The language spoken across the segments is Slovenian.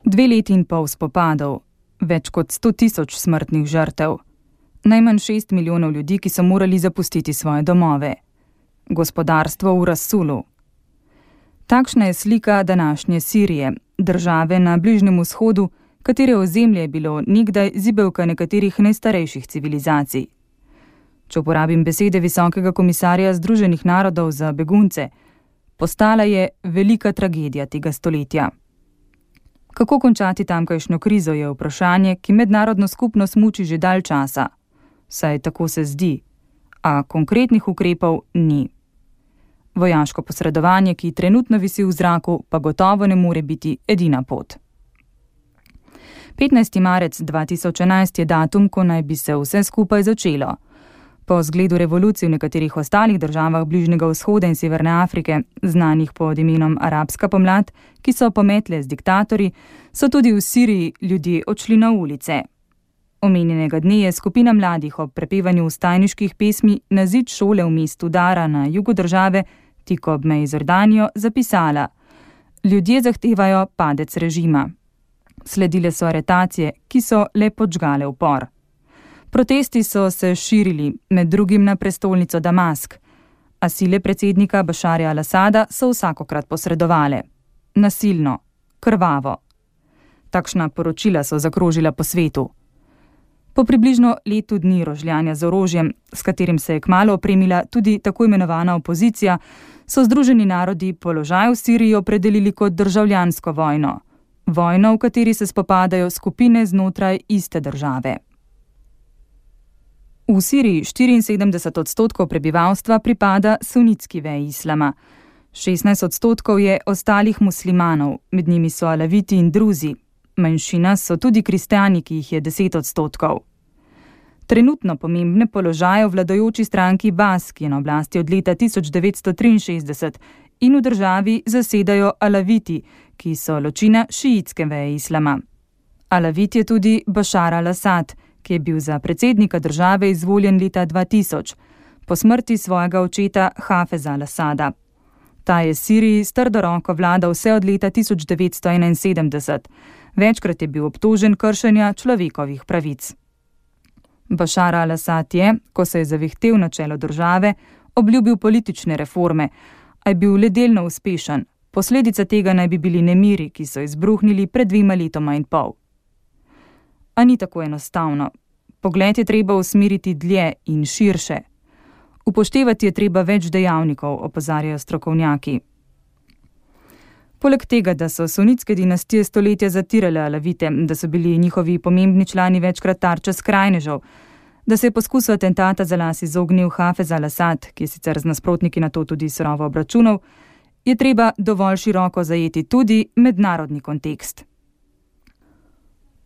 2 leti in pol spopadov, več kot 100 000 smrtnih žrtev, najmanj 6 milijonov ljudi, ki so morali zapustiti svoje domove, gospodarstvo v razsulu. Takšna je slika današnje Sirije, države na Bližnjem vzhodu, katere ozemlje je bilo nekdaj zibelka nekaterih najstarejših civilizacij. Če uporabim besede Visokega komisarja Združenih narodov za begunce, postala je velika tragedija tega stoletja. Kako končati tamkajšnjo krizo je vprašanje, ki mednarodno skupnost muči že dalj časa. Saj tako se zdi, a konkretnih ukrepov ni. Vojaško posredovanje, ki trenutno visi v zraku, pa gotovo ne more biti edina pot. 15. marec 2011 je datum, ko naj bi se vse skupaj začelo. Po zgledu revolucij v nekaterih ostalih državah Bližnjega vzhoda in Severne Afrike, znanih pod imenom Arabska pomlad, ki so pometle z diktatorji, so tudi v Siriji ljudje odšli na ulice. Omenjenega dne je skupina mladih ob prepevanju vstajniških pesmi na zid šole v mestu Dara na jugu države, tik ob meji z Jordanijo, zapisala: Ljudje zahtevajo padec režima. Sledile so aretacije, ki so le podžgale upor. Protesti so se širili, med drugim na prestolnico Damask, a sile predsednika Bašarja al-Asada so vsakokrat posredovale. Nasilno, krvavo. Takšna poročila so zakrožila po svetu. Po približno letu dni rožljanja z orožjem, s katerim se je kmalu opremila tudi tako imenovana opozicija, so Združeni narodi položaj v Siriji opredelili kot državljansko vojno. Vojno, v kateri se spopadajo skupine znotraj iste države. V Siriji 74% prebivalstva pripada sunitski veji islama. 16% je ostalih muslimanov, med njimi so alaviti in druzi. Manjšina so tudi kristjani, ki jih je 10%. Trenutno pomembne položaje v vladajoči stranki Bas, ki je na oblasti od leta 1963, in v državi zasedajo alaviti, ki so ločina šiitske veje islama. Alavit je tudi Bašar al-Asad, ki je bil za predsednika države izvoljen leta 2000, po smrti svojega očeta Hafeza al-Asada. Ta je Siriji s trdo roko vladal vse od leta 1971. Večkrat je bil obtožen kršenja človekovih pravic. Bašar al-Asad je, ko se je zavihtel na čelo države, obljubil politične reforme, a je bil le delno uspešen. Posledica tega naj bi bili nemiri, ki so izbruhnili pred 2 letoma in pol. A ni tako enostavno. Pogled je treba usmeriti dlje in širše. Upoštevati je treba več dejavnikov, opozarjajo strokovnjaki. Poleg tega, da so sunitske dinastije stoletja zatirale alavite, da so bili njihovi pomembni člani večkrat tarča skrajnežev, da se je poskus atentata za las izognil Hafez al-Asad, ki je sicer z nasprotniki na to tudi surovo obračunal, je treba dovolj široko zajeti tudi mednarodni kontekst.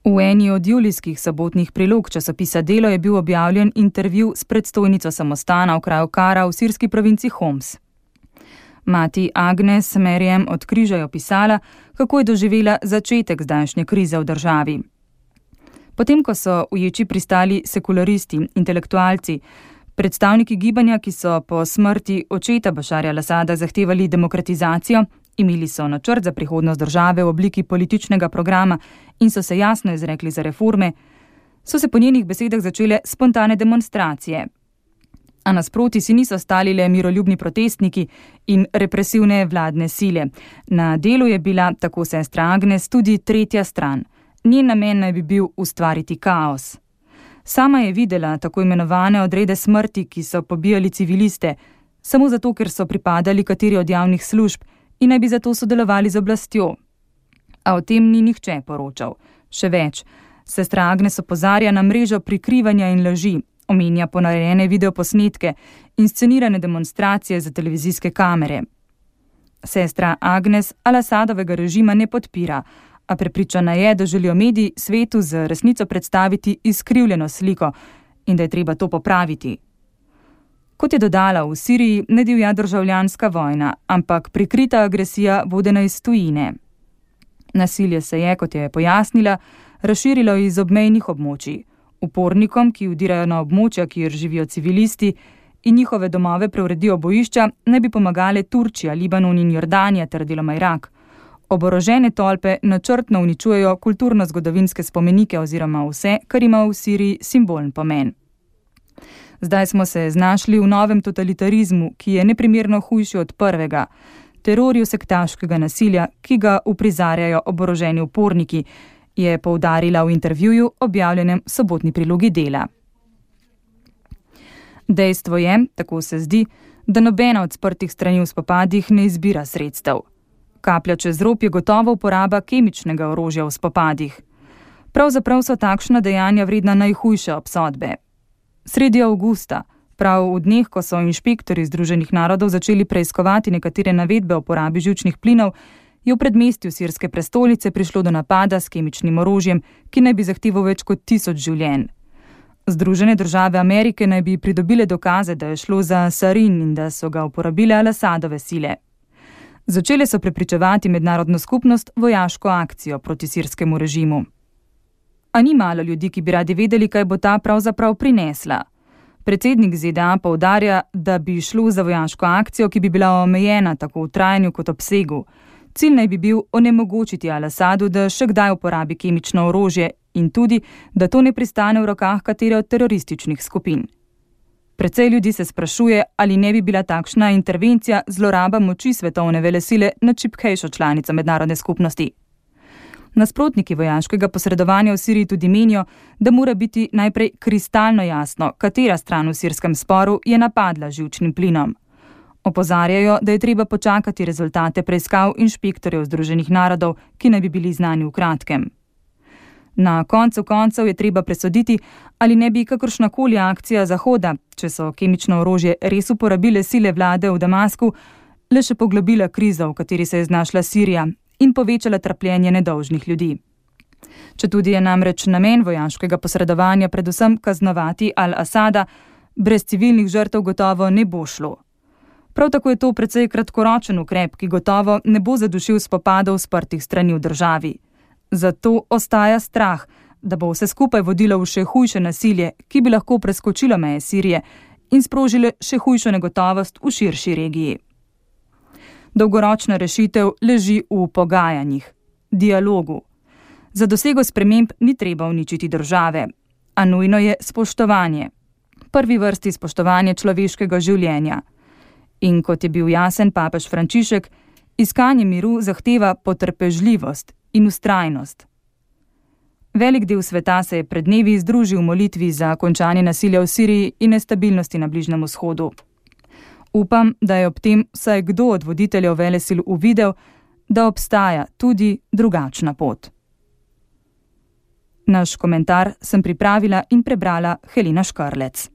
V eni od julijskih sobotnih prilog časopisa Delo je bil objavljen intervju s predstojnico samostana v kraju Kara v sirski provinci Homs. Mati Agnes Merjem od Križa je opisala, kako je doživela začetek zdajšnje krize v državi. Potem, ko so v ječi pristali sekularisti, intelektualci, predstavniki gibanja, ki so po smrti očeta Bašarja al-Asada zahtevali demokratizacijo, imeli so načrt za prihodnost države v obliki političnega programa in so se jasno izrekli za reforme, so se po njenih besedah začele spontane demonstracije. A nasproti si niso stali le miroljubni protestniki in represivne vladne sile. Na delu je bila, tako sestra Agnes, tudi tretja stran. Njen namen naj bi bil ustvariti kaos. Sama je videla tako imenovane odrede smrti, ki so pobijali civiliste, samo zato, ker so pripadali kateri od javnih služb in naj bi zato sodelovali z oblastjo. A o tem ni nihče poročal. Še več, sestra Agnes opozarja na mrežo prikrivanja in laži, omenja ponarejene videoposnetke in scenirane demonstracije za televizijske kamere. Sestra Agnes al-Asadovega režima ne podpira, a prepričana je, da želijo mediji svetu z resnico predstaviti izkrivljeno sliko in da je treba to popraviti. Kot je dodala, v Siriji ne divja državljanska vojna, ampak prikrita agresija vodena iz tujine. Nasilje se je, kot je pojasnila, razširilo iz obmejnih območij. Upornikom, ki vdirajo na območja, kjer živijo civilisti in njihove domove preuredijo bojišča, naj bi pomagale Turčija, Libanon in Jordanija ter deloma Irak. Oborožene tolpe načrtno uničujejo kulturno-zgodovinske spomenike oziroma vse, kar ima v Siriji simbolen pomen. Zdaj smo se znašli v novem totalitarizmu, ki je neprimerno hujši od prvega, terorju sektaškega nasilja, ki ga uprizarjajo oboroženi uporniki, je poudarila v intervjuju, objavljenem v sobotni prilogi Dela. Dejstvo je, tako se zdi, da nobena od sprtih strani v spopadih ne izbira sredstev. Kaplja čez rob je gotovo uporaba kemičnega orožja v spopadih. Pravzaprav so takšna dejanja vredna najhujše obsodbe. Sredi avgusta, prav v dneh, ko so inšpektorji Združenih narodov začeli preiskovati nekatere navedbe o porabi živčnih plinov, je v predmestju sirske prestolnice prišlo do napada s kemičnim orožjem, ki naj bi zahteval več kot 1000 življenj. Združene države Amerike naj bi pridobile dokaze, da je šlo za sarin in da so ga uporabile Al-Asadove sile. Začele so prepričevati mednarodno skupnost vojaško akcijo proti sirskemu režimu. A ni malo ljudi, ki bi radi vedeli, kaj bo ta pravzaprav prinesla. Predsednik ZDA poudarja, da bi šlo za vojaško akcijo, ki bi bila omejena tako v trajanju kot obsegu. Cilj naj bi bil onemogočiti Al-Asadu, da še kdaj uporabi kemično orožje in tudi, da to ne pristane v rokah katere od terorističnih skupin. Precej ljudi se sprašuje, ali ne bi bila takšna intervencija zloraba moči svetovne velesile nad šibkejšo članico mednarodne skupnosti. Nasprotniki vojaškega posredovanja v Siriji tudi menijo, da mora biti najprej kristalno jasno, katera stran v sirskem sporu je napadla živčnim plinom. Opozarjajo, da je treba počakati rezultate preiskav inšpektorjev Združenih narodov, ki naj bi bili znani v kratkem. Na koncu koncev je treba presoditi, ali ne bi kakršnakoli akcija Zahoda, če so kemično orožje res uporabile sile vlade v Damasku, le še poglobila krizo, v kateri se je znašla Sirija, in povečala trpljenje nedolžnih ljudi. Četudi je namreč namen vojaškega posredovanja predvsem kaznovati Al-Asada, brez civilnih žrtev gotovo ne bo šlo. Prav tako je to precej kratkoročen ukrep, ki gotovo ne bo zadušil spopadov sprtih strani v državi. Zato ostaja strah, da bo vse skupaj vodilo v še hujše nasilje, ki bi lahko preskočilo meje Sirije in sprožile še hujšo negotovost v širši regiji. Dolgoročna rešitev leži v pogajanjih, dialogu. Za dosego sprememb ni treba uničiti države, a nujno je spoštovanje. Prvi vrsti spoštovanje človeškega življenja. In kot je bil jasen papež Frančišek, iskanje miru zahteva potrpežljivost in vztrajnost. Velik del sveta se je pred dnevi združil v molitvi za končanje nasilja v Siriji in nestabilnosti na Bližnjem vzhodu. Upam, da je ob tem vsaj kdo od voditeljev velesil uvidel, da obstaja tudi drugačna pot. Naš komentar sem pripravila in prebrala Helena Škarlec.